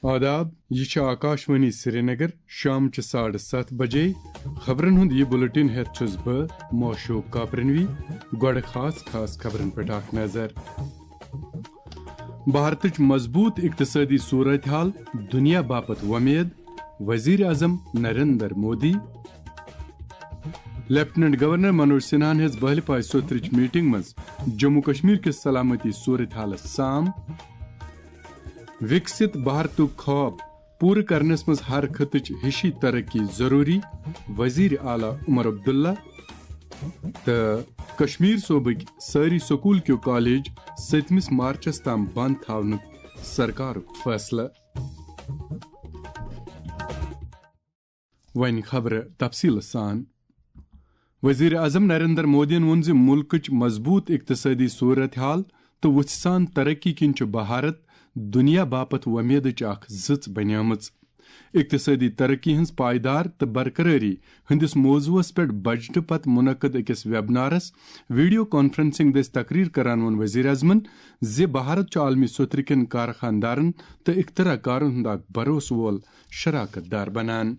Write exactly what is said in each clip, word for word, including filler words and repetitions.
آداب، یہِ چھِ آکاشوانی سرینگر، شام چہِ ساڑٕ ستھ بجے۔ خبرن ہُنٛد یہِ بُلٹن ہٮ۪تھ چھُس بہٕ معشوق کاپرنوی۔ گۄڈٕ خاص خاص خبرن پٮ۪ٹھ اکھ نظر۔ بھارتٕچ مضبوٗط اقتصٲدی صورتحال دُنیا باپتھ وۄمید، وزیر اعظم نریندر مودی۔ لیفٹیننٹ گورنر منوج سنہاہن ہیٚژ بہلہِ پایہِ سوترٕچ میٹنگ منٛز جموں کشمیر کِس سلامتی صورتحالس سام۔ وِکسِت بھارتُک خواب پوٗرٕ کرنس منٛز ہر خطٕچ ہِشی ترقی ضروٗری، وزیر اعلیٰ عمر عبداللہ۔ تہٕ کشمیر صوبٕکۍ سٲری سکوٗل کیو کالج سٔتمِس مارچس تام بند تھاونُک سرکارُک فٲصلہٕ۔ وۄنۍ خبرٕ تفصیٖلہٕ سان۔ وزیر اعظم نریندر مودیَن ووٚن زِ مُلکٕچ مضبوٗط اقتصٲدی صورتحال تہٕ وُژھِ سان ترقی کِنۍ چھُ بھارت دُنیا باپتھ وۄمیدٕچ اکھ زٕژ بنیمٕژ۔ اقتصٲدی ترقی ہٕنٛز پائیدار تہٕ برقرٲری ہٕنٛدِس موضوعس پٮ۪ٹھ بجٹہٕ پتہٕ منعقد أکِس ویبنارس ویڈیو کانفرنسنگ دٔسۍ تقریر کران ووٚن وزیر اعظمن زِ بھارت چھُ عالمی سطرٕ کٮ۪ن کارخانہٕ دارن تہٕ اختراع کارن ہُنٛد اکھ بھروسہٕ وول شراکت دار بنان۔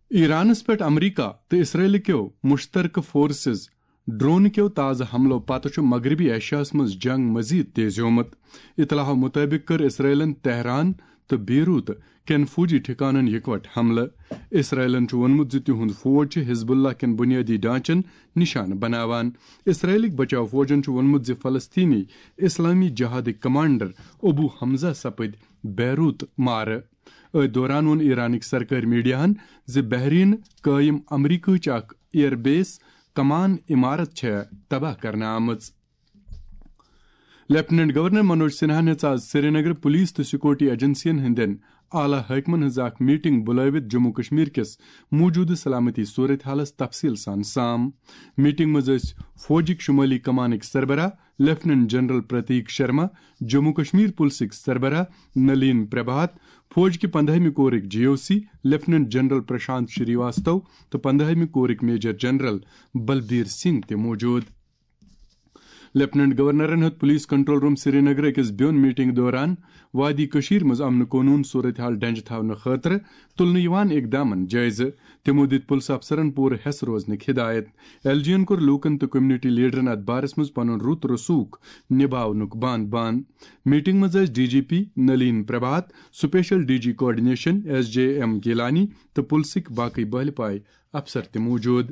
ایرانس پٮ۪ٹھ امریکہ تہٕ اسرائیل کیو مشترکہٕ فورسز ڈرون کیو تازٕ حملو پتہٕ چھُ مغربی ایشیاہس منٛز جنگ مزید تیز ہومت۔ اطلاعو مطٲبق کٔر اسرائیلن تہران تہٕ بیروت کٮ۪ن فوجی ٹھکانن یکوٹہٕ حملہٕ۔ اسرائیلن چھُ ووٚنمُت زِ تِہُنٛد فوج چھُ حزب اللہ کٮ۪ن بنیٲدی ڈھانچن نشانہٕ بناوان۔ اسرائیلٕکۍ بچاو فوجن چھُ ووٚنمُت زِ فلسطینی اسلامی جہادٕکۍ کمانڈر ابو حمزہ سپٕدۍ بیروت مارٕ۔ أتھۍ دوران ووٚن ایرانٕکۍ سرکٲرۍ میڈیاہن زِ بحرین قٲیِم امریکہٕچ اکھ ایئر بیس کمان عمارت چھےٚ تباہ کرنہٕ آمٕژ۔ لیفٹیننٹ گورنر منوج سنہاہن ہیٚژ آز سرینگر پولیس تہٕ سیکورٹی ایجنسین ہٕنٛدٮ۪ن اعلیٰ حٲکمن ہٕنٛز اکھ میٹنگ بُلٲوِتھ جموں کشمیر کِس موجودٕ سلامتی صورتحالس تفصیل سان سام۔ میٹنگ منٛز ٲسۍ فوجٕکۍ شمٲلی کمانٕکۍ سربراہ لیفٹیننٹ جنرل پرتیک شرما، جموں کشمیر پولیسٕکۍ سربراہ نلین پربھات، فوج کہِ پندہمہِ کورٕکۍ G O C lieutenant general Prashant Srivastava تہٕ پندہمہِ کورٕکۍ میجر جنرل بلبیر سنگھ تہِ موجود۔ لیفٹیننٹ گورنرن ہیوٚت پولیس کنٹرول روم سرینگر أکِس بیوٚن میٹنگ دوران وادی کٔشیٖر منٛز امن قونوٗن صورتحال ڈنجہِ تھاونہٕ خٲطرٕ تُلنہٕ یِوان اقدامن جٲیزٕ۔ تِمو دِتۍ پُلسہٕ افسرن پوٗرٕ ہٮ۪س روزنٕکۍ ہدایت۔ ایل جی یَن کوٚر لوٗکن تہٕ کمیونٹی لیڈرن اتھ بارس منٛز پنُن رُت رسوخ نباونُک بان بان۔ میٹنگ منٛز ٲسۍ D G P Nalin Prabhat, special D G coordination S J M Gilani تہٕ پُلسٕکۍ باقٕے بہلہِ پایہِ افسر تہِ موجود۔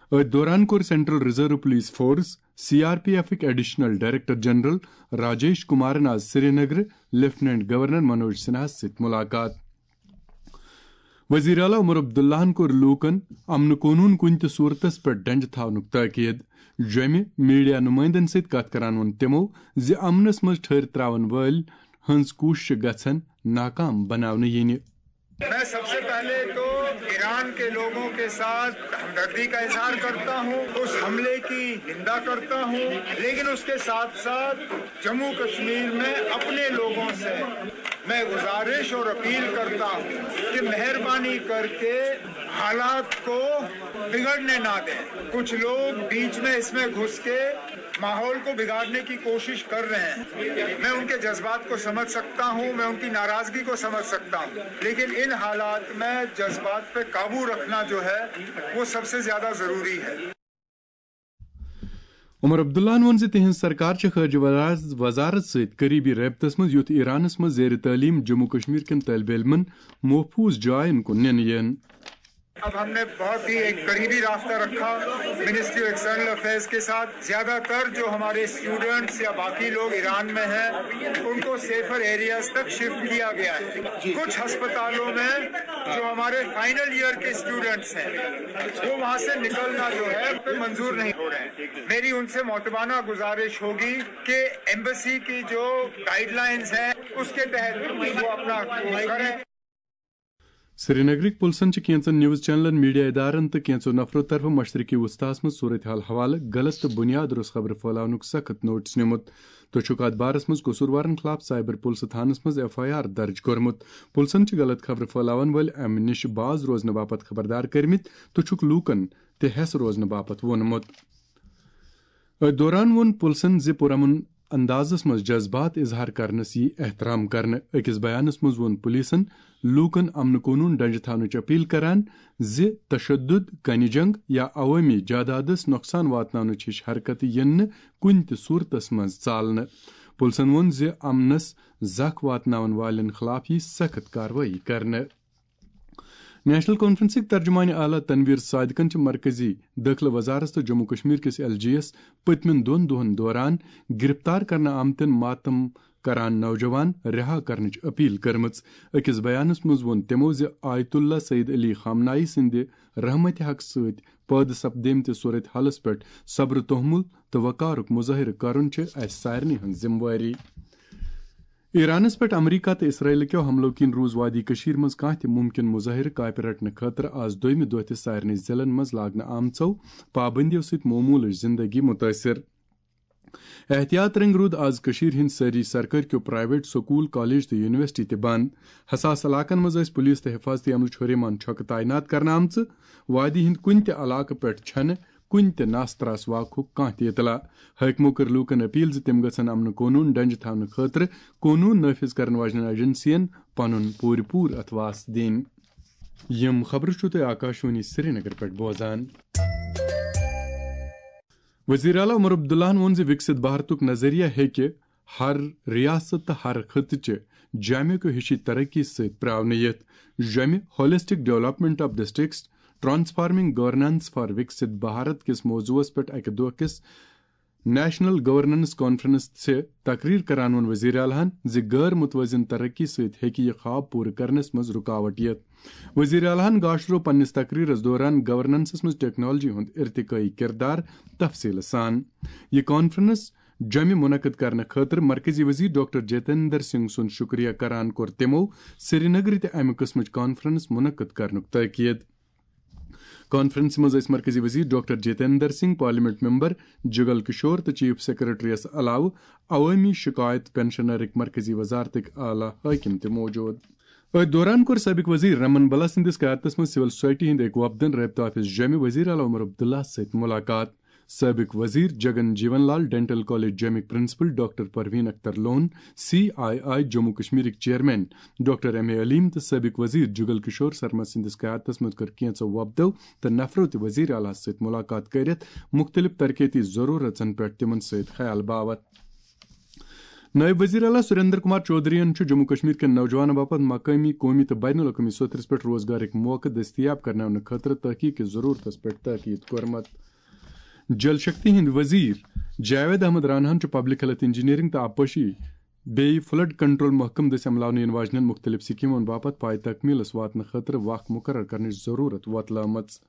أتھۍ دوران کوٚر central reserve police force, C R P ایفٕکۍ ایڈیشنل ڈائریکٹر جنرل راجیش کمارن آز سرینگرٕ لیفٹیننٹ گورنر منوج سنہاہس سۭتۍ ملاقات۔ وزیر اعلیٰ عمر عبداللہن کوٚر لوٗکن امن قونوٗن کُنہِ تہِ صورتس پٮ۪ٹھ ڈنجہِ تھاونُک تاکید۔ جوٚمہِ میڈیا نمائندن سۭتۍ کتھ کران ووٚن تِمو زِ امنس منٛز ٹھٔہر تراون وٲلۍ ہٕنٛز کوٗششہٕ گژھن ناکام بناونہٕ یِنہِ۔ میں سب سے پہلے تو ایران کے لوگوں کے ساتھ ہمدردی کا اظہار کرتا ہوں، اس حملے کی نندا کرتا ہوں، لیکن اس کے ساتھ ساتھ جموں کشمیر میں اپنے لوگوں سے میں گزارش اور اپیل کرتا ہوں کہ مہربانی کر کے حالات کو بگڑنے نہ دیں۔ کچھ لوگ بیچ میں اس میں گھس کے ماحول کو بگاڑنے کی کوشش کر رہے ہیں۔ میں ان کے جذبات کو سمجھ سکتا ہوں، میں ان کی ناراضگی کو سمجھ سکتا ہوں، لیکن ان حالات میں جذبات پہ قابو رکھنا جو ہے، وہ سب سے زیادہ ضروری ہے۔ عمر عبداللہن ووٚن زِ تِہنٛز سرکار چھِ خارجہ وزارت سۭتۍ قریبی رٲبطس منٛز، یُتھ ایرانس منٛز زیر تعلیم جموں کشمیر کٮ۪ن طٲلبہِ علمن محفوظ جاین کُن نِنہٕ یِن۔ اب ہم نے بہت ہی ایک قریبی رابطہ رکھا منسٹری آف ایکسٹرنل افیئرز کے ساتھ۔ زیادہ تر جو ہمارے اسٹوڈنٹس یا باقی لوگ ایران میں ہیں، ان کو سیفر ایریاز تک شفٹ کیا گیا ہے۔ کچھ ہسپتالوں میں جو ہمارے فائنل ایئر کے اسٹوڈنٹس ہیں، وہ وہاں سے نکلنا جو ہے، پہ منظور نہیں ہو رہے ہیں۔ میری ان سے معتبانہ گزارش ہوگی کہ ایمبسی کی جو گائیڈ لائنز ہیں، اس کے تحت وہ اپنا کورس کریں۔ سرینگرٕکۍ پُلسن چھِ کینٛژن نیوز چینلن، میڈیا ادارن تہٕ کینٛژو نفرو طرفہٕ مشرقی وسطیٰ ہَس منٛز صورتحال حوالہٕ غلط تہٕ بُنیاد روٚس خبرٕ پھٲلاونُک سخت نوٹس نیومُت۔ تہٕ چھُکھ اتھ بارس منٛز قصوٗروارن خلاف سائبر پُلسہٕ تھانس منٛز ایف آئی آر درج کوٚرمُت۔ پُلسن چھِ غلط خبرٕ پھٲلاون وٲلۍ امہِ نِش باز روزنہٕ باپتھ خبردار کٔرمٕتۍ تہٕ چھُکھ لوٗکن تہِ ہٮ۪س روزنہٕ باپتھ ووٚنمُت۔ أتھۍ دوران ووٚن پُلسن زِ پُرامن اندازس منٛز جذبات اظہار کرنس یی احترام کرنہٕ۔ أکِس بیانس منٛز ووٚن پولیسن لوٗکن امن قونوٗن ڈنجہِ تھاونٕچ اپیل کران زِ تشدد، کنہِ جنگ یا عوٲمی جادادس نۄقصان واتناونٕچ ہِش حرکتہٕ یِن نہٕ کُنہِ تہِ صورتس منٛز ژالنہٕ۔ پُلسن ووٚن زِ امنس زکھ واتناون والٮ۪ن خلاف یی سخت کاروٲیی کرنہٕ۔ نیشنل کانفرنسٕکۍ ترجمان اعلیٰ تنویر صادقن چھِ مرکزی دٲخلہٕ وزارت تہٕ جموں کشمیر کِس ایل جی یس پٔتمٮ۪ن دۄن دۄہن دوران گرفتار کرنہٕ آمتٮ۪ن ماتم کران نوجوان رہا کرنٕچ اپیل کٔرمٕژ۔ أکِس بیانس منٛز ووٚن تِمو زِ آیت اللہ سید علی خامنائی سٕنٛدِ رحمتِ حق سۭتۍ پٲدٕ سپدیمتِ صورت حالس پٮ۪ٹھ صبر، تحمل تہٕ وقارُک مظٲہرٕ کرُن چھِ اسہِ سارنٕے ہٕنٛز ذمہٕ وٲری۔ ایرانس پٮ۪ٹھ امریکہ تہٕ اسرائیل کیو حملو کِنۍ روٗز وادی کٔشیٖر منٛز کانٛہہ تہِ مُمکِن مظٲہرٕ کاپہِ رٹنہٕ خٲطرٕ آز دوٚیمہِ دۄہ تہِ سارنٕے ضلعن منٛز لاگنہٕ آمژو پابندیو سۭتۍ معموٗلٕچ زندگی مُتٲثر۔ احتیاط رنگۍ روٗد آز کٔشیٖرِ ہٕنٛدۍ سٲری سرکٲرۍ کیو پرائیویٹ سکوٗل، کالج تہٕ یونیورسٹی تہِ بنٛد۔ حساس علاقن منٛز ٲسۍ پُلیٖس تہٕ حفاظتی عملہٕ چھُرِ یِمن چھۄکہٕ تعینات کرنہٕ آمژٕ۔ وادی ہٕنٛدۍ کُنہِ تہِ علاقہٕ پٮ۪ٹھ چھنہٕ کُنہِ تہِ ناس تراس واقعُک کانٛہہ تہِ اطلاع۔ حٲکمو کٔر لوٗکن اپیل زِ تِم گژھن امن قونوٗن ڈنجہِ تھاونہٕ خٲطرٕ قونوٗن نافذ کرن واجنٮ۪ن ایجنسین پنُن پوٗرٕ پوٗرٕ اتھواس دِنۍ۔ یِم خبرٕ چھِو تُہۍ آکاشوانی سرینگر پٮ۪ٹھ بوزان۔ وزیر اعلیٰ عمر عبداللہن ووٚن زِ وِکسِت بھارتُک نظریہ ہیٚکہِ ہر ریاست تہٕ ہر خطہٕ چہِ جامع کیو ہِشی ترقی سۭتۍ پراونہٕ یِتھ۔ جامع Holistic Development of Districts Transforming Governance for Viksit Bharat کِس موضوعس پٮ۪ٹھ اکہِ دۄہ کِس نیشنل گورننس کانفرنس چھِ تقریر کران ووٚن وزیر اعلیٰ ہن زِ غٲر متوازن ترقی سۭتۍ ہیٚکہِ یہِ خواب پوٗرٕ کرنس منٛز رکاوٹ یِتھ۔ وزیر اعلیٰ ہن گاشرو پننِس تقریرس دوران گورننسس منٛز ٹیکنالوجی ہُنٛد ارتقٲیی کردار تفصیل سان۔ یہِ کانفرنس جمہِ منعقد کرنہٕ خٲطرٕ مرکزی وزیر ڈاکٹر جتیندر سنگھ سُنٛد شکریہ کران کوٚر تِمو سرینگرٕ تہِ امہِ قٕسمٕچ کانفرنس منعقد کرنُک تٲکید۔ کانفرنسہِ منٛز ٲسۍ مرکزی وزیر doctor Jitendra Singh, parliament member Jugal Kishore تہٕ چیف سیکرٹریس علاوٕ عوٲمی شکایت پنشنرٕکۍ مرکزی وزارتٕکۍ اعلیٰ حٲکم تہِ موجود۔ أتھۍ دوران کوٚر سٲبق وزیر رمن بلا سٕنٛدِس قیادتس منٛز سول سوسائٹی ہٕنٛدۍ أکۍ وفدن رابطہٕ آفس جمہِ وزیر اعلیٰ عمر عبداللہ سۭتۍ ملاقات۔ سٲبق وزیر جگن جیون لال، ڈینٹل کالج جمِک principal doctor Parveen Akhtar Lone, C I I Jammu کشمیرٕکۍ chairman doctor M A Aleem تہٕ سٲبق وزیر جگل کشور شرما سٕنٛدِس قیادتس منٛز کٔر کینٛژو وفدو تہٕ نفرو تہِ وزیر اعلیٰ سۭتۍ ملاقات کٔرِتھ مُختٔلِف ترقیتی ضروٗرژن پٮ۪ٹھ تِمن سۭتۍ خیال باوتھ۔ نٲیِب وزیر اعلیٰ سریندر کمار چودھرین چھُ جموں کشمیر کٮ۪ن نوجوانن باپتھ مقٲمی، قومی تہٕ بین الاقوٲمی سطحس پٮ۪ٹھ روزگارٕکۍ موقعہٕ دٔستیاب کرناونہٕ خٲطرٕ تحقیق کِس ضروٗرتس پٮ۪ٹھ تاکید کوٚرمُت۔ جل شکتی ہٕنٛدۍ وزیر جاوید احمد راناہن چھُ پبلک ہیلتھ انجینئرنگ تہٕ آبپاشی بیٚیہِ فلڈ کنٹرول محکمہٕ دٔسۍ عملاونہٕ یِنہٕ واجنٮ۪ن مُختٔلِف سکیمن باپتھ پاے تکمیلس واتنہٕ خٲطرٕ وق مقرر کرنٕچ ضروٗرت وۄتلٲومٕژ۔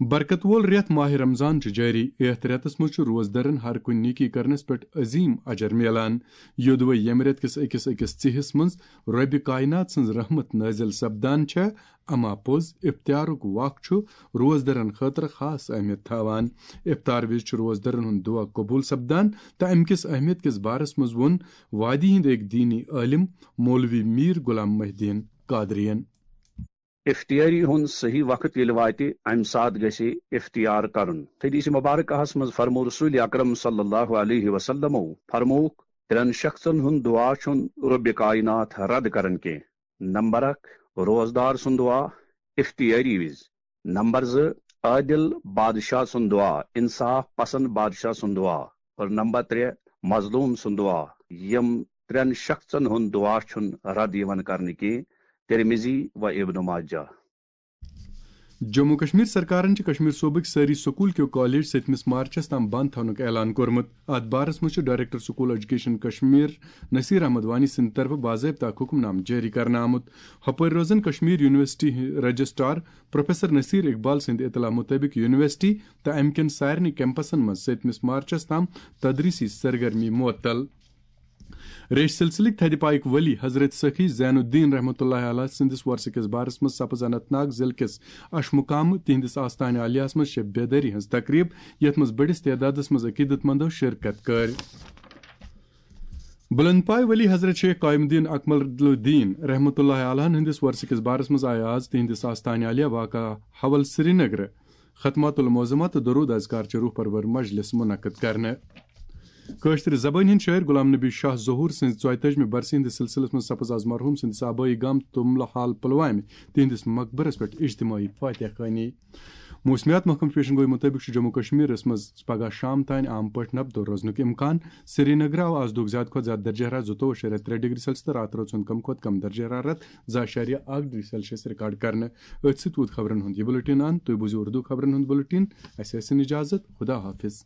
برکت وول رٮ۪تھ ماہِ رمضان چھُ جٲری۔ یتھ رٮ۪تس منٛز چھُ روزدرن ہر کُنہِ نیکی کرنس پٮ۪ٹھ عظیم اجر میلان۔ یوٚدوے ییٚمہِ رٮ۪تہٕ کِس أکِس أکِس ژِہِس منٛز رۄبِ کائنات سٕنٛز رحمت نٲزِل سپدان چھےٚ، اما پوٚز افطارُک وق چھُ روزدرن خٲطرٕ خاص اہمیت تھاوان۔ افطار وِزِ چھُ روزدرن ہُنٛد دعا قبول سپدان تہٕ امہِ کِس اہمیت کِس بارس منٛز ووٚن وادی ہٕنٛدۍ أکۍ دینی عٲلم مولوی میر غلام محی الدین قادرین۔ افطاری ہُنٛد صحیح وقت ییٚلہِ واتہِ، امہِ ساتہٕ گژھِ افطار کرُن۔ حدیث مبارکہس منٛز فرموو رسول اکرم صلی اللہ علیہ وسلمو، فرمووُکھ، ترٛٮ۪ن شخصن ہُنٛد دعا چھُنہٕ رۄبِ کائنات رد کران کینٛہہ۔ نمبر اکھ، روزدار سُنٛد دعا افطاری وِزِ۔ نمبر زٕ، عادل بادشاہ سُنٛد دعا، انصاف پسند بادشاہ سُنٛد دعا۔ اور نمبر ترٛےٚ، مظلوم سُنٛد دعا۔ یِم ترٛٮ۪ن شخصن ہُنٛد دعا چھُنہٕ رد یِوان کرنہٕ کینٛہہ۔ ترمذی و ابن ماجہ۔ جموں کشمیر سرکارن چھِ کشمیر صوبٕکۍ سٲری سکوٗل کیو کالج سٔتمِس مارچس تام بند تھاونُک اعلان کوٚرمُت۔ اتھ بارس منٛز چھُ director school education Kashmir Naseer Ahmad Wani سٕنٛدِ طرفہٕ باضٲبطہٕ اکھ حکم نامہٕ جٲری کرنہٕ آمُت۔ ہپٲرۍ روزن Kashmir university registrar professor Naseer Iqbal سٕنٛدِ اطلاع مُطٲبِق یونیورسٹی تہٕ امہِ کٮ۪ن سارنٕے کیمپسن منٛز سٔتمِس مارچس تام تدریسی سرگرمی معطل۔ ریٚش سلسلٕکۍ تھدِ پایِکۍ ولی حضرت سخی زین الدین رحمتہ اللہ علیہ سٕنٛدِس وۄرثہٕ کِس بارس منٛز سپٕز اننت ناگ ضلعہٕ کِس اشمقام تِہنٛدِس آستانہِ عالیہس منٛز شب بیدٲری ہٕنٛز تقریب، یتھ منٛز بٔڑِس تعدادس منٛز عقیدت مندو شرکت کٔر۔ بلند پایہِ ولی حضرت شیخ قائم الدین اکمل الدین رحمتہ اللہ علیہ ہٕنٛدِس وۄرثہٕ کِس بارس منٛز آیہِ آز تِہنٛدِس آستانہِ عالیہ واقع حول سرینگرٕ ختمات المعظمہ تہٕ درود اذکار چہِ روح پرور مجلس منعقد کرنہٕ۔ کٲشرِ زبٲنۍ ہٕنٛدۍ شٲعر غلام نبی شاہ ظہور سٕنٛزِ ژۄیہِ تٲجمہِ برسی ہٕنٛدِس سلسلس منٛز سپز از مرحوٗم سٕنٛدِس آبٲیی گام تُملہٕ حال پلوامہِ تِہنٛدِس مقبرس پٮ۪ٹھ اجتماعی فاتحہ خوانی۔ موسمیات محکمہٕ پیشن گوئی مُطٲبِق چھُ جموں کشمیرس منٛز پگہہ شام تام عام پٲٹھۍ نبدو روزنُک امکان۔ سرینگر آو از دۄہُک زیادٕ کھۄتہٕ زیادٕ درجہ حرارت زٕتووُہ شیٚے رٮ۪تھ ترٛےٚ ڈگری سیلسیس تہٕ راتہٕ روز ژھۄن کم کھۄتہٕ کم درجہ حرارت زٕ اعشاریہ اکھ ڈگری سیلسیس ریکارڈ کرنہٕ۔ أتھۍ سۭتۍ ووت خبرن ہُنٛد یہِ بُلٹن اند۔ تُہۍ بوٗزِو اردو خبرن ہُنٛد بُلٹن۔ اسہِ ٲسِن اجازت۔ خدا حافظ۔